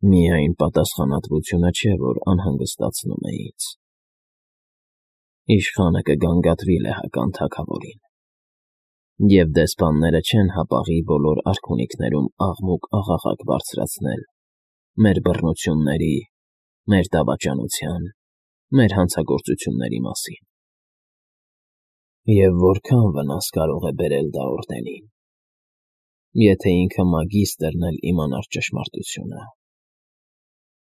Միայն պատասխանատվությունը չէ, որ անհանգստացնում է ինձ։ Իշխանը կգանգատվի լեհական թագավորին, և դեսպանները չեն հապաղի բոլոր արքունիքներում աղմուկ-աղաղակ բարձրացնել մեր բռնությունների, մեր դավաճանության, մեր հանցագործությունների մասին։ Եվ որքան վնաս կարող է բերել դա օրդենին, եթե ինքը մագիստրն էլ իմանար ճշմարտությունը։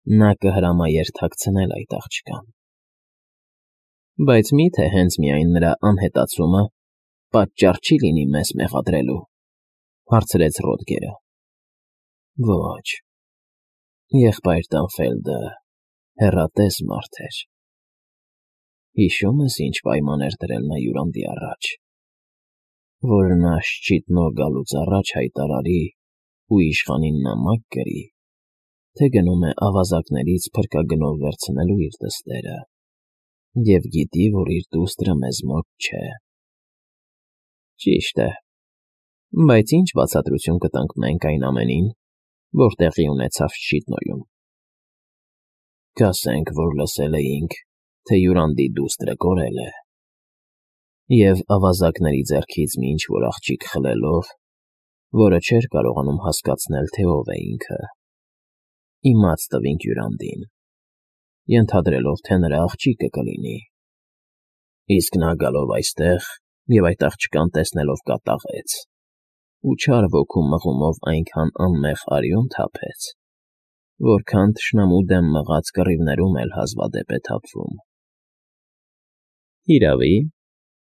Նա կհրամաերթաքցնել այդ աղջկան։ Բայց մի՞թե հենց միայն նրա անհետացումը պատճառ չի լինի մեզ մեղադրելու, հարցրեց Ռոդգերը։ Ոչ, եղբայր Տանֆելդը հեռատես մարդ էր։ Հիշո՞ւմ ես, ինչ պայման էր դրել նա հյուրանդի առաջ, որ նա շճիտնով գալուց առաջ հայտարարի ու իշխանին նամակ գրի, թե գնում է ավազակներից փրկագնով վերցնելու իր դստերը, և գիտի, որ իր դուստրը մեզ մոտ չէ։ Ճիշտ է, բայց ի՞նչ բացատրություն կտանք մենք այն ամենին, որ տեղի ունեցավ Շչիտնոյում։ Կասենք, որ լսել էինք, թե հյուրանդի դուստրը կորել է, և ավազակների ձեռքից մի ինչ֊որ աղջիկ խլելով, որը չէր կարողանում հասկացնել, թե ով է ինքը, իմաց տվինք հյուրանդին, ենթադրելով, թե նրա աղջիկը կլինի, իսկ նա գալով այստեղ և այդ աղջկան տեսնելով կատաղեց ու չար ոգու մղումով այնքան անմեղ արյուն թափեց, որքան թշնամու դեմ մղած կռիվներում էլ հազվադեպ է թափվում։ Հիրավի,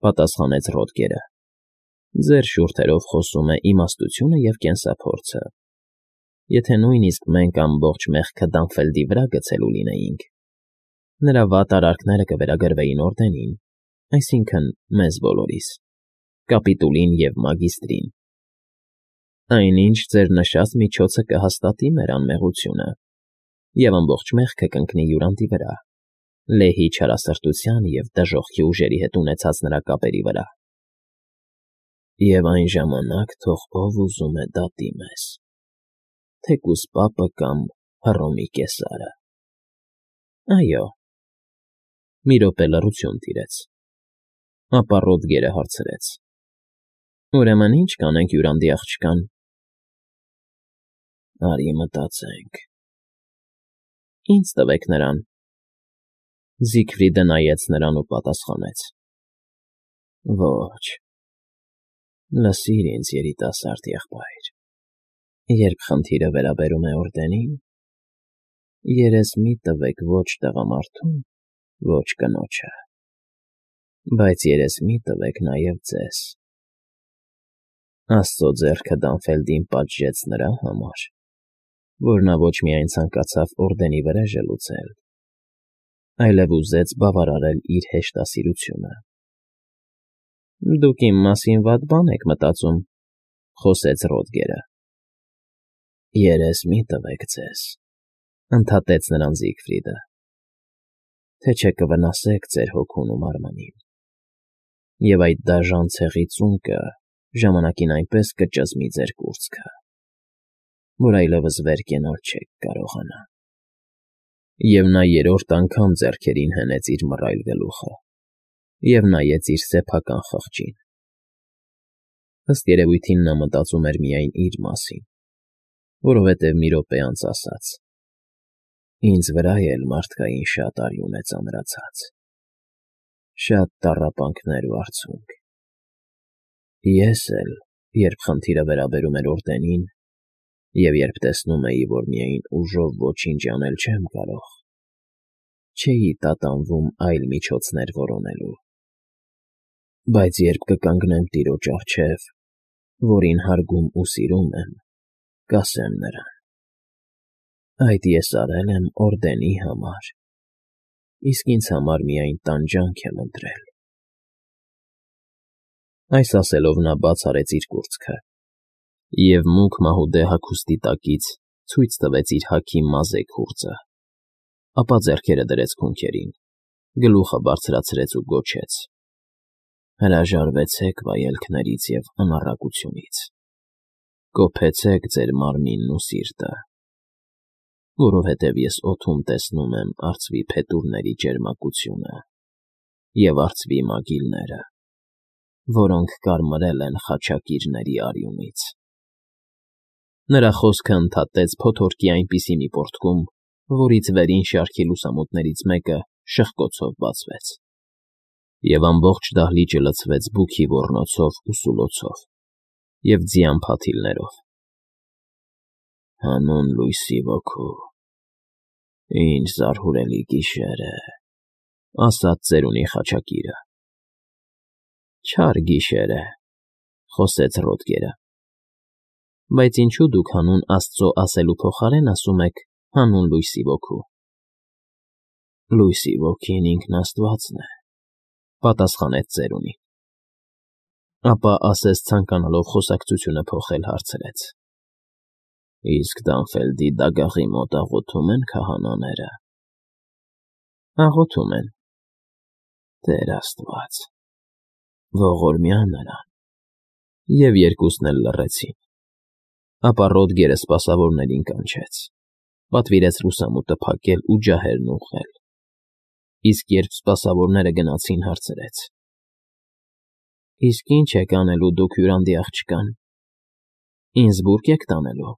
պատասխանեց Ռոդգերը, ձեր շուրթերով խոսում է իմաստությունը և կենսափորձը։ Եթե նույնիսկ մենք ամբողջ մեղքը Դանֆելդի վրա գցելու լինեինք, նրա վատ արարքները կվերագրվեին օրդենին, այսինքն՝ մեզ բոլորիս, կապիտուլին և մագիստրին։ Այնինչ ձեր նշած միջոցը կհաստատի մեր անմեղությունը և ամբողջ մեղքը կընկնի հյուրանդի վրա, լեհի չարասրտության և դժոխքի ուժերի հետ ունեցած նրա կապերի վրա։ Եվ այն ժամանակ թող ով ուզում է դատի մեզ, թեկուզ պապը կամ Հռոմի կեսարը։ Այո։ Մի րոպե լռություն տիրեց, ապա Ռոդգերը հարցրեց. Ուրեմն ի՞նչ կանենք հյուրանդի աղջկան։ Արի մտածենք։ Ինձ տվեք նրան։ Զիգֆրիդը նայեց նրան ու պատասխանեց. Ոչ։ Լսիր ինձ, երիտասարդ եղբայր, երբ խնդիրը վերաբերում է օրդենին, երես մի տվեք ոչ տղամարդուն, ոչ կնոջը, բայց երես մի տվեք նաև ձեզ։ Աստծո ձեռքը Դանֆելդին պատժեց նրա համար, որ նա ոչ միայն ցանկացավ օրդենի վրեժը լուծել, այլև ուզեց բավարարել իր հեշտասիրությունը։ Դուք իմ մասին վատ բան եք մտածում, խոսեց Ռոդգերը։ Երես մի տվեք ձեզ, ընդհատեց նրան Զիգֆրիդը, թե չէ կվնասեք ձեր հոգուն ու մարմնին, և այդ դաժան ցեղի ծունկը ժամանակին այնպես կճզմի ձեր կուրծքը, որ այլևս վեր կենալ չեք կարողանա։ Եվ նա երրորդ անգամ ձեռքերին հենեց իր մռայլ գլուխը և նայեց իր սեփական խղճին։ Ըստ երևույթին նա մտածում էր միայն իր մասին, որովհետև մի րոպե անց ասաց. Ինձ վրա էլ մարդկային շատ արյուն է ծանրացած, շատ տառապանքներ ու արցունք։ Ես էլ, երբ խնդիրը վերաբերում էր օրդենին, և երբ տեսնում էի, որ միայն ուժով ոչինչ անել չեմ կարող, չէի տատանվում այլ միջոցներ որոնելու։ Բայց երբ կկանգնեմ Տիրոջ առջև, որին հարգում ու սիրում եմ, կասեմ նրան. այդ ես արել եմ օրդենի համար, իսկ ինձ համար միայն տանջանք եմ ընտրել։ Այս ասելով նա բաց արեց իր կուրծքը և մուգ մահուդե հագուստի տակից ցույց տվեց իր հագի մազե քուրծը, ապա ձեռքերը դրեց քունքերին, գլուխը բարձրացրեց ու գոչեց. Հրաժարվեցեք վայելքներից և անառակությունից, կոփեցեք ձեր մարմինն ու սիրտը, որովհետև ես օդում տեսնում եմ արծվի փետուրների ջերմակությունը և արծվի մագիլները, որոնք կարմրել են խաչակիրների արյունից։ Նրա խոսքը ընդհատեց փոթորկի այնպիսի մի պոռթկում, որից վերին շարքի լուսամուտներից մեկը շխկոցով բացվեց, և ամբողջ դահլիճը լցվեց բուքի ոռնոցով ու սուլոցով և ձյան փաթիլներով։ Հանուն լույսի ոգու, ինչ զարհուրելի գիշեր է, ասաց ծերունի խաչակիրը։ Չար գիշեր է, խոսեց Ռոդգերը, բայց ինչու դուք հանուն Աստծո ասելու փոխարեն ասում եք հանուն լույսի ոգու։ Լույսի ոգին ինքն Աստվածն է, պատասխանեց ծերունին։ Ապա ասես ցանկանալով խոսակցությունը փոխել, հարցրեց. Իսկ Դանֆելդի դագաղի մոտ աղոթում են քահանաները։ Աղոթում են։ Տեր Աստված, ողորմյա նրան։ Եվ երկուսն էլ լռեցին։ Ապա Ռոդգերը սպասավորներին կանչեց, պատվիրեց լուսամուտը փակել ու ջահերն ուղղել։ Իսկ երբ սպասավորները գնացին, հարցրեց. Իսկ ինչ եք անելու դուք հյուրանդի աղջկան։ Ինսբուրգ եք տանելու։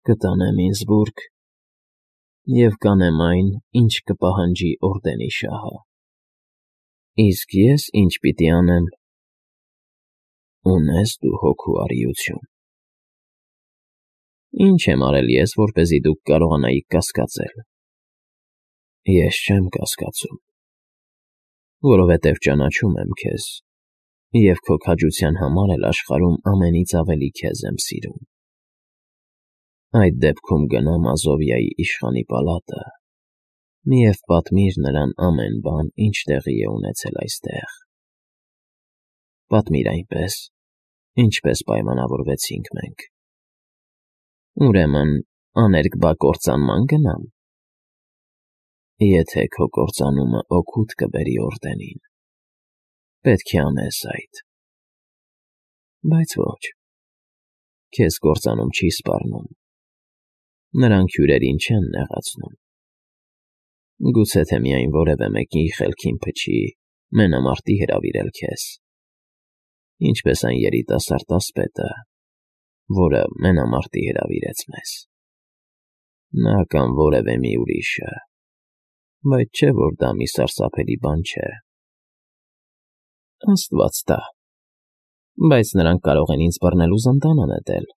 Կտանեմ Ինսբուրգ և կանեմ այն, ինչ կպահանջի օրդենի շահը։ Իսկ ես ինչ պիտի անեմ։ Ունես դու հոգու առիություն։ Ինչ եմ արել ես, որպեսզի դուք կարողանայիք կասկածել։ Ես չեմ կասկածում, որովհետև ճանաչում եմ քեզ և քո քաջության համար էլ աշխարհում ամենից ավելի քեզ եմ սիրում։ Այդ դեպքում գնա Մազովիայի իշխանի պալատը և պատմիր նրան ամեն բան, ինչ տեղի է ունեցել այստեղ։ Պատմիր այնպես, ինչպես պայմանավորվեցինք մենք։ Ուրեմն աներկբա կործանման գնամ։ Եթե քո կործանումը օգուտ կբերի օրդենին, պետք է անես այդ։ Բայց ոչ, քեզ կործանում չի սպառնում։ Նրանք հյուրերին չեն նեղացնում։ Գուցե թե միայն որևէ մեկի խելքին փչի մենամարտի հրավիրել քեզ, ինչպես այն երիտասարդ ասպետը, որը մենամարտի հրավիրեց մեզ։ Նա կամ որևէ մի ուրիշը, բայց չէ՞ որ դա մի սարսափելի բան չէ։ Աստված տա, բայց նրանք կարող են ինձ բռնել ու զնդանը նետել։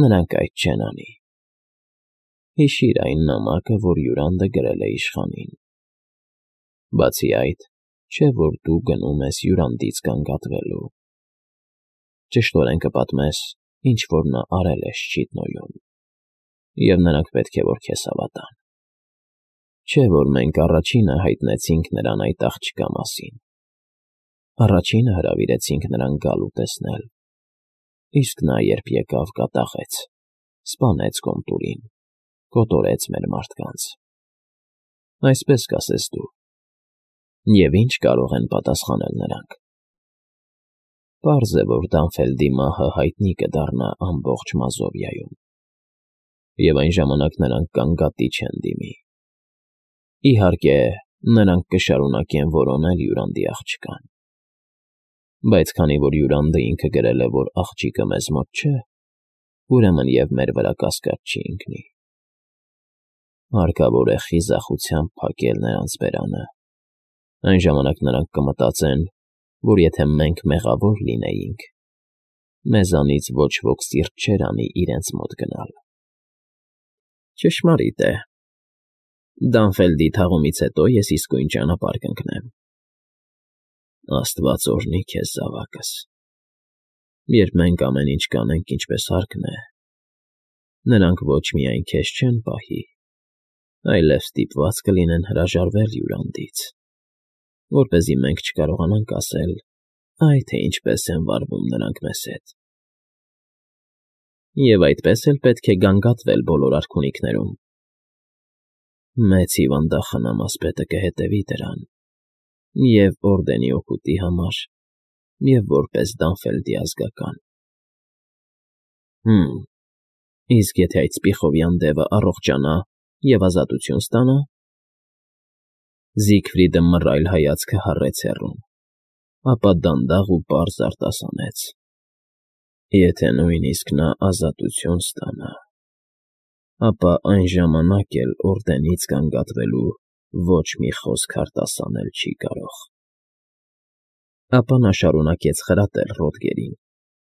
Նրանք այդ չեն անի։ Հիշիր այն նամակը, որ Յուրանդը գրել է իշխանին։ Բացի այդ, չէ՞ որ դու գնում ես Յուրանդից գանգատվելու։ Ճշտորեն կպատմես, ինչ որ նա արել է Շչիդնոյում, և նրանք պետք է որ քեզ հավատան։ Չէ՞ որ մենք առաջինը հայտնեցինք նրան այդ աղջկա մասին։ Առաջինը հրավիրեցինք նրան գալ ու տեսնել, իսկ նա երբ եկավ, կատաղեց, սպանեց Կոմտուրին, կոտորեց մեր մարդկանց։ Այսպես կասես դու։ Եվ ինչ կարող են պատասխանել նրանք։ Պարզ է, որ Դանֆելդի մահը հայտնի կդառնա ամբողջ Մազովիայում, և այն ժամանակ նրանք գանգատի չեն դիմի։ Իհարկե, նրանք կշարունակեն որոնել Յուրանդի աղջկան։ Բայց քանի որ Յուրանդը ինքը գրել է, որ աղջիկը մեզ մոտ չէ, ուրեմն և մեր վրա կասկած չի ընկնի։ Հարկավոր է խիզախությամբ փակել նրանց բերանը։ Այն ժամանակ նրանք կմտածեն, որ եթե մենք մեղավոր լինեինք, մեզանից ոչ ոք սիրտ չէր անի իրենց մոտ գնալ։ Ճշմարիտ է։ Դանֆելդի թաղումից հետո ես իսկույն ճանապարհ կընկնեմ։ Աստված օրհնի քեզ, զավակս։ Երբ մենք ամեն ինչ կանենք ինչպես հարկն է, նրանք ոչ միայն քեզ չեն պահի, այլև ստիպված կլինեն հրաժարվել Յուրանդից, որպեսզի մենք չկարողանանք ասել, այ թե ինչպես են վարվում նրանք մեզ հետ։ Եվ այդպես էլ պետք է գանգատվել բոլոր արքունիքներում։ Մեծ հիվանդախնամ ասպետը կհետևի դրան, և օրդենի օգուտի համար, և որպես Դանֆելդի ազգական։ Իսկ եթե այդ սպիխովյան դևը առողջանա և ազատություն ստանա… Զիգֆրիդը մռայլ հայացքը հառեց հեռուն, ապա դանդաղ ու պարզ արտասանեց. Եթե նույնիսկ նա ազատություն ստանա, ապա այն ժամանակ էլ օրդենից գանգատվելու ոչ մի խոսք արտասանել չի կարող… Ապա նա շարունակեց խրատել Ռոդգերին,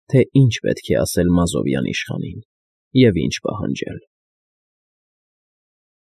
թե ինչ պետք է ասել Մազովյան իշխանին և ինչ պահանջել։